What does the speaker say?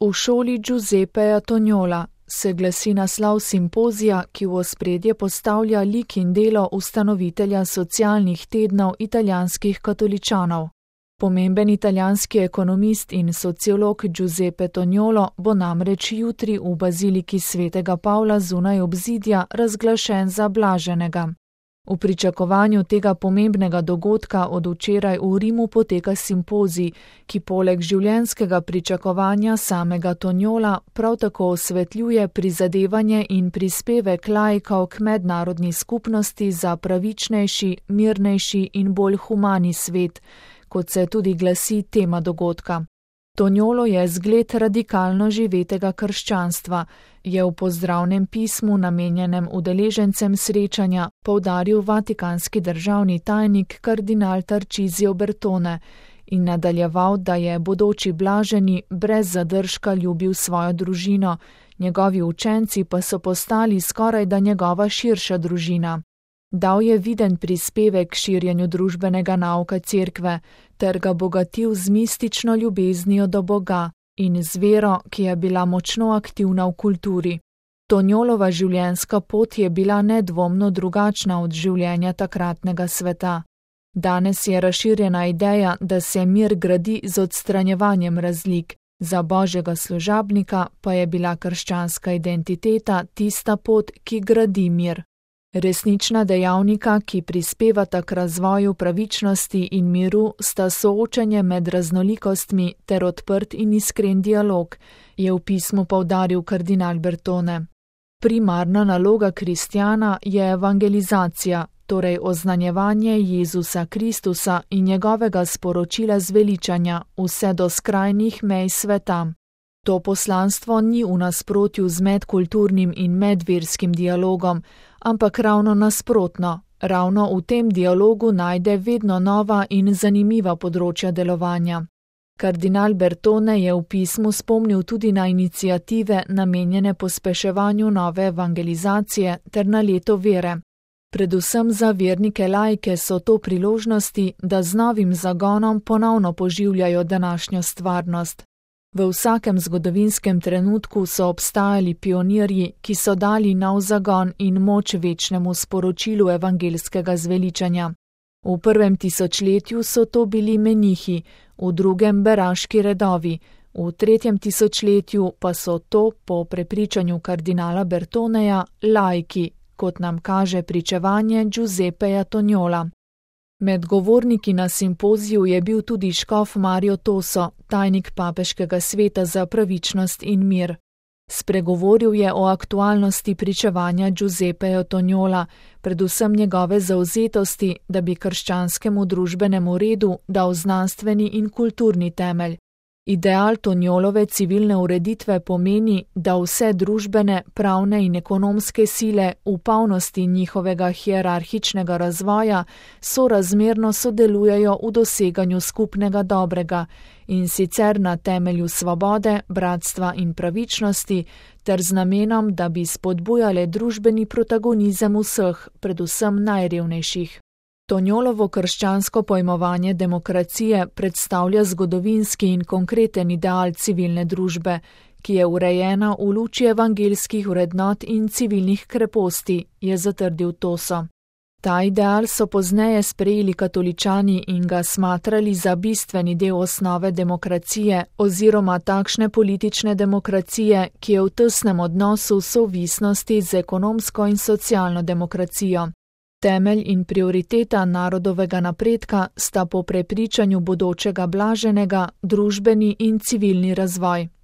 V šoli Giuseppeja Toniola se glasi naslov simpozija, ki v ospredje postavlja lik in delo ustanovitelja socialnih tednov italijanskih katoličanov. Pomemben italijanski ekonomist in sociolog Giuseppe Toniolo bo namreč jutri v baziliki svetega Pavla zunaj obzidja razglašen za blaženega. V pričakovanju tega pomembnega dogodka od včeraj v Rimu poteka simpozij, ki poleg življenjskega pričakovanja samega Toniola prav tako osvetljuje prizadevanje in prispevek laikov k mednarodni skupnosti za pravičnejši, mirnejši in bolj humani svet, kot se tudi glasi tema dogodka. Toniolo je zgled radikalno živetega krščanstva, je v pozdravnem pismu namenjenem udeležencem srečanja poudaril vatikanski državni tajnik kardinal Tarcisio Bertone in nadaljeval, da je bodoči blaženi brez zadržka ljubil svojo družino, njegovi učenci pa so postali skorajda njegova širša družina. Dal je viden prispevek k širjenju družbenega nauka cerkve ter ga bogatil z mistično ljubeznijo do Boga in z vero, ki je bila močno aktivna v kulturi. Toniolova življenjska pot je bila nedvomno drugačna od življenja takratnega sveta. Danes je razširjena ideja, da se mir gradi z odstranjevanjem razlik, za Božjega služabnika pa je bila krščanska identiteta tista pot, ki gradi mir. Resnična dejavnika, ki prispevata k razvoju pravičnosti in miru, sta soočanje med raznolikostmi ter odprt in iskren dialog, je v pismu poudaril kardinal Bertone. Primarna naloga kristjana je evangelizacija, torej oznanjevanje Jezusa Kristusa in njegovega sporočila zveličanja vse do skrajnih mej sveta. To poslanstvo ni v nasprotju z medkulturnim in medverskim dialogom, ampak ravno nasprotno, ravno v tem dialogu najde vedno nova in zanimiva področja delovanja. Kardinal Bertone je v pismu spomnil tudi na iniciative namenjene pospeševanju nove evangelizacije ter na leto vere. Predvsem za vernike laike so to priložnosti, da z novim zagonom ponovno poživljajo današnjo stvarnost. V vsakem zgodovinskem trenutku so obstajali pionirji, ki so dali nov zagon in moč večnemu sporočilu evangelskega zveličanja. V prvem tisočletju so to bili menihi, v drugem beraški redovi, v tretjem tisočletju pa so to, po prepričanju kardinala Bertoneja, laiki, kot nam kaže pričevanje Giuseppeja Toniola. Med govorniki na simpoziju je bil tudi škof Mario Toso, tajnik papeškega sveta za pravičnost in mir. Spregovoril je o aktualnosti pričevanja Giuseppeja Toniola, predvsem njegove zavzetosti, da bi krščanskemu družbenemu redu dal znanstveni in kulturni temelj. Ideal Toniolove civilne ureditve pomeni, da vse družbene, pravne in ekonomske sile v polnosti njihovega hierarhičnega razvoja sorazmerno sodelujejo v doseganju skupnega dobrega, in sicer na temelju svobode, bratstva in pravičnosti, ter z namenom, da bi spodbujale družbeni protagonizem vseh, predvsem najrevnejših. Toniolovo krščansko pojmovanje demokracije predstavlja zgodovinski in konkreten ideal civilne družbe, ki je urejena v luči evangelskih vrednot in civilnih kreposti, je zatrdil Toso. Ta ideal so pozneje sprejeli katoličani in ga smatrali za bistveni del osnove demokracije oziroma takšne politične demokracije, ki je v tesnem odnosu sovisnosti z ekonomsko in socialno demokracijo. Temelj in prioriteta narodovega napredka sta po prepričanju bodočega blaženega družbeni in civilni razvoj.